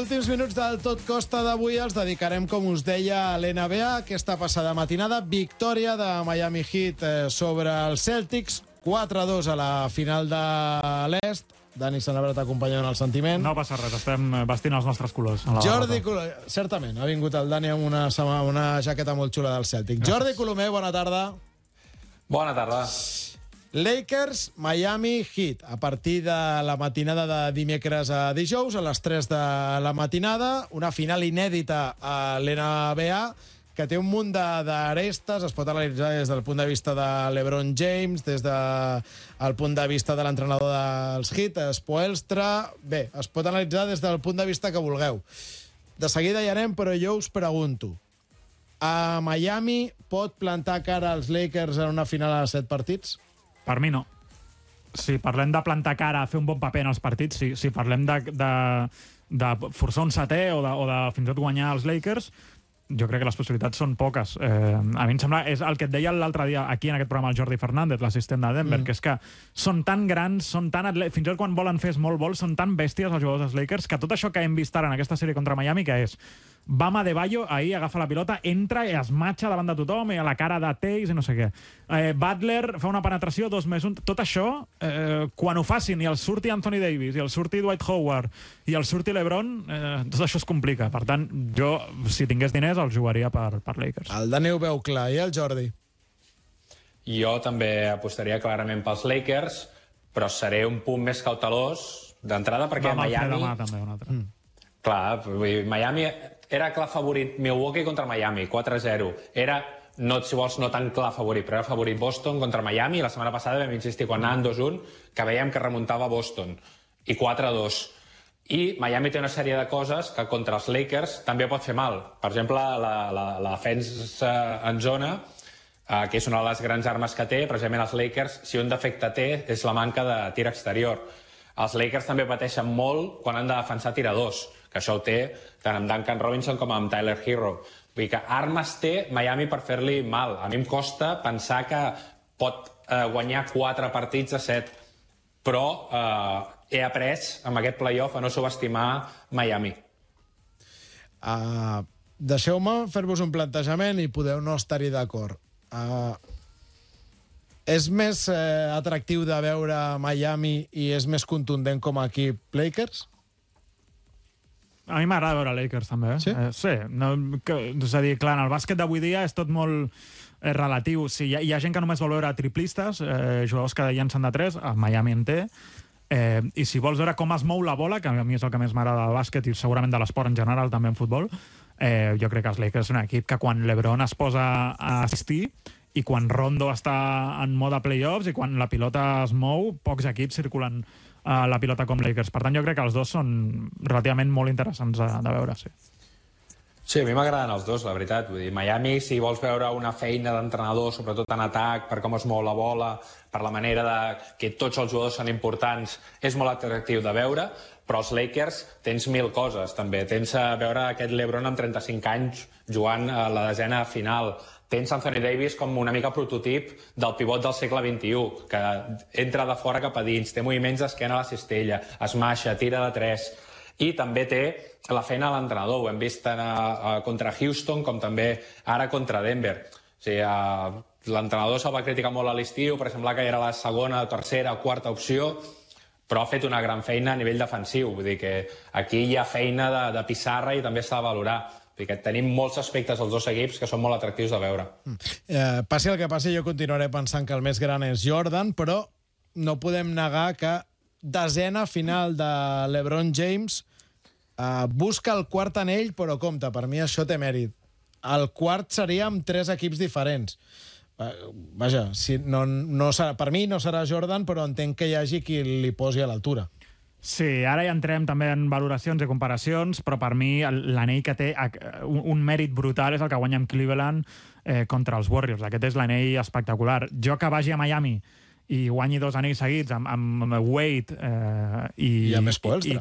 últims minuts del Tot Costa d'avui els dedicarem, com us deia, a l'NBA. Aquesta passada matinada, victòria de Miami Heat sobre els Celtics, 4-2 a la final de l'Est. Dani Sanabra t'acompanya en el sentiment. No passa res, estem vestint els nostres colors. Jordi Colomer, certament, ha vingut el Dani amb una jaqueta molt xula del Celtic. Gràcies. Jordi Colomer, bona tarda. Bona tarda. Lakers, Miami Heat, a partir de la matinada de dimecres a dijous, a les 3 de la matinada, una final inèdita a l'NBA, que té un munt d'arestes, es pot analitzar des del punt de vista de LeBron James, des del punt de vista de l'entrenador dels Heat, Spoelstra. Bé, es pot analitzar des del punt de vista que vulgueu. De seguida hi anem, però jo us pregunto, a Miami pot plantar cara als Lakers en una final a 7 partits? Per mi no. Si parlem de plantar cara a fer un bon paper en els partits, sí. Si parlem de forçar un setè o de fins i tot guanyar els Lakers, jo crec que les possibilitats són poques. A mi em sembla, és el que et deia l'altre dia aquí en aquest programa el Jordi Fernández, l'assistent de Denver, que és que són tan grans, són tan fins i tot quan volen fer small ball, són tan bèsties els jugadors dels Lakers, que tot això que hem vist ara en aquesta sèrie contra Miami, que és Bam Adebayo, ahir agafa la pilota, entra i es matxa davant de tothom, i a la cara de Tays i no sé què. Butler fa una penetració 2+1. Tot això, quan ho facin i el surti Anthony Davis, i el surti Dwight Howard, i el surti LeBron, tot això es complica. Per tant, jo, si tingués diners, els jugaria per Lakers. El Dani ho veu clar, i el Jordi? Jo també apostaria clarament pels Lakers, però seré un punt més cautelós d'entrada, perquè Miami... Demà, també, un altre. Clar, Miami era clar favorit Milwaukee contra Miami, 4-0. Era, no, si vols, no tan clar favorit, però era favorit Boston contra Miami. La setmana passada vam insistir quan anaven 2-1 que veiem que remuntava Boston. I 4-2. I Miami té una sèrie de coses que contra els Lakers també pot fer mal. Per exemple, la defensa en zona, que és una de les grans armes que té, precisament els Lakers, si un defecte té, és la manca de tir exterior. Els Lakers també pateixen molt quan han de defensar tiradors, que això ho té tant amb Duncan Robinson com amb Tyler Hero. Vull dir que armes té Miami per fer-li mal. A mi em costa pensar que pot guanyar 4 partits a 7, però he après amb aquest playoff a no subestimar Miami. Deixeu-me fer-vos un plantejament i podeu no estar-hi d'acord. És més atractiu de veure Miami i és més contundent com a equip Lakers? A mi m'agrada veure Lakers, també. Sí? Sí. És a dir, clar, en el bàsquet d'avui dia és tot molt relatiu. Sí, hi ha gent que només vol veure triplistes, jugadors que llancen de 3, a Miami en té, i si vols veure com es mou la bola, que a mi és el que més m'agrada del bàsquet i segurament de l'esport en general, també en futbol, jo crec que els Lakers és un equip que quan LeBron es posa a assistir i quan Rondo està en mode playoffs i quan la pilota es mou, pocs equips circulen la pilota com Lakers. Per tant, jo crec que els dos són relativament molt interessants de veure, sí. Sí, a mi m'agraden els dos, la veritat. Vull dir, Miami, si vols veure una feina d'entrenador, sobretot en atac, per com es mou la bola, per la manera de que tots els jugadors són importants, és molt atractiu de veure, però els Lakers tens 1000 coses, també. Tens a veure aquest LeBron amb 35 anys jugant a la desena final. Tens Anthony Davis com una mica prototip del pivot del segle XXI, que entra de fora cap a dins, té moviments d'esquena a la cistella, es maixa, tira de 3, i també té la feina a l'entrenador. Ho hem vist tant contra Houston com també ara contra Denver. O sigui, l'entrenador se'l va criticar molt a l'estiu, per semblar que era la segona, tercera o quarta opció, però ha fet una gran feina a nivell defensiu. Vull dir que aquí hi ha feina de pissarra i també s'ha de valorar. Que tenim molts aspectes als dos equips que són molt atractius de veure. Passi el que passi, jo continuaré pensant que el més gran és Jordan, però no podem negar que desena final de LeBron James busca el quart anell, però compte, per mi això té mèrit. El quart seria amb 3 equips diferents. Vaja, per mi no serà Jordan, però entenc que hi hagi qui li posi a l'altura. Sí, ara ja entrem també en valoracions i comparacions, però per mi l'anell que té un mèrit brutal és el que guanya amb Cleveland contra els Warriors. Aquest és l'anell espectacular. Jo que vagi a Miami i guanyi 2 anells seguits amb Wade i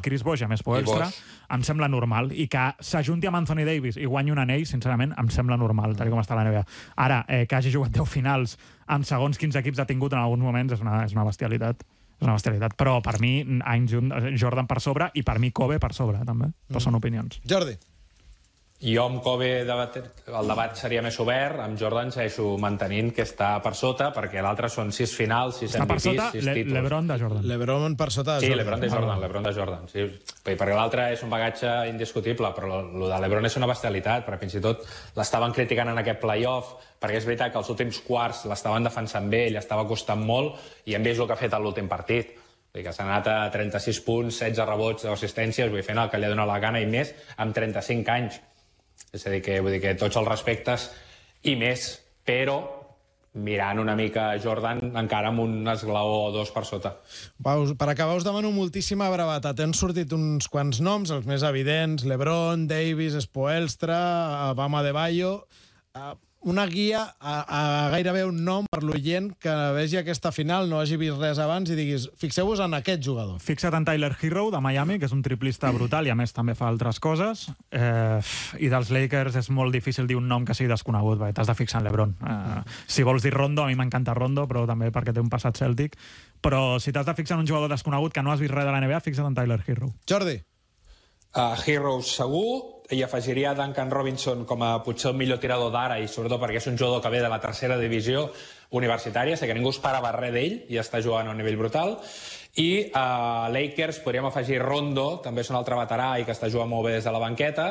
Chris Bosh, a més Poelstra, em sembla normal. I que s'ajunti amb Anthony Davis i guanyi un anell, sincerament, em sembla normal, tal com està la NBA. Ara, que hagi jugat 10 finals amb segons quins equips ha tingut en alguns moments és una bestialitat. És una bestialitat. Però per mi, Jordan per sobre i per mi Kobe per sobre, també. Però són opinions. Jordi. Jo amb Kobe el debat seria més obert, amb Jordan segueixo mantenint que està per sota, perquè l'altre són 6 finals, 6 Està per MVPs, sota 6 títols. LeBron de Jordan. LeBron per sota de Sí, Jordan. LeBron de Jordan. Sí. Perquè l'altre és un bagatge indiscutible, però el de LeBron és una bestialitat, perquè fins i tot l'estaven criticant en aquest playoff, perquè és veritat que els últims quarts l'estaven defensant bé, ell estava costant molt, i hem vist el que ha fet a l'últim partit. Vull dir que s'ha anat a 36 punts, 16 rebots, assistències, fent el que li ha donat la gana i més amb 35 anys. És a dir, que tots els respectes i més, però mirant una mica Jordan encara amb un esglaó o dos per sota. Per acabar, us demano moltíssima brevetat. Han sortit uns quants noms, els més evidents, LeBron, Davis, Spoelstra, Bam Adebayo. Una guia a gairebé un nom per l'oient que vegi aquesta final, no hagi vist res abans i diguis, fixeu-vos en aquest jugador. Fixa't en Tyler Hero, de Miami, que és un triplista brutal i a més també fa altres coses. I dels Lakers és molt difícil dir un nom que sigui desconegut, perquè t'has de fixar en LeBron. Si vols dir Rondo, a mi m'encanta Rondo, però també perquè té un passat cèltic. Però si t'has de fixar en un jugador desconegut que no has vist res de la NBA, fixa't en Tyler Hero. Jordi. Hero segur, i afegiria Duncan Robinson com a potser el millor tirador d'ara, i sobretot perquè és un jugador que ve de la tercera divisió universitària, sé que ningú esperava res d'ell i està jugant a un nivell brutal. I a Lakers podríem afegir Rondo, també és un altre veterà i que està jugant molt bé des de la banqueta,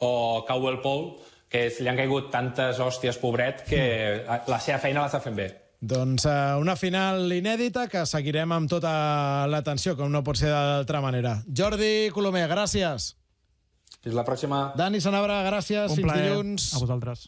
o Caldwell Pope, que li han caigut tantes hòsties, pobret, que la seva feina l'està fent bé. Doncs una final inèdita que seguirem amb tota l'atenció, com no pot ser d'altra manera. Jordi Colomer, gràcies. Fins la pròxima. Dani Sanabra, gràcies. Un Fins plaer. dilluns. A vosaltres.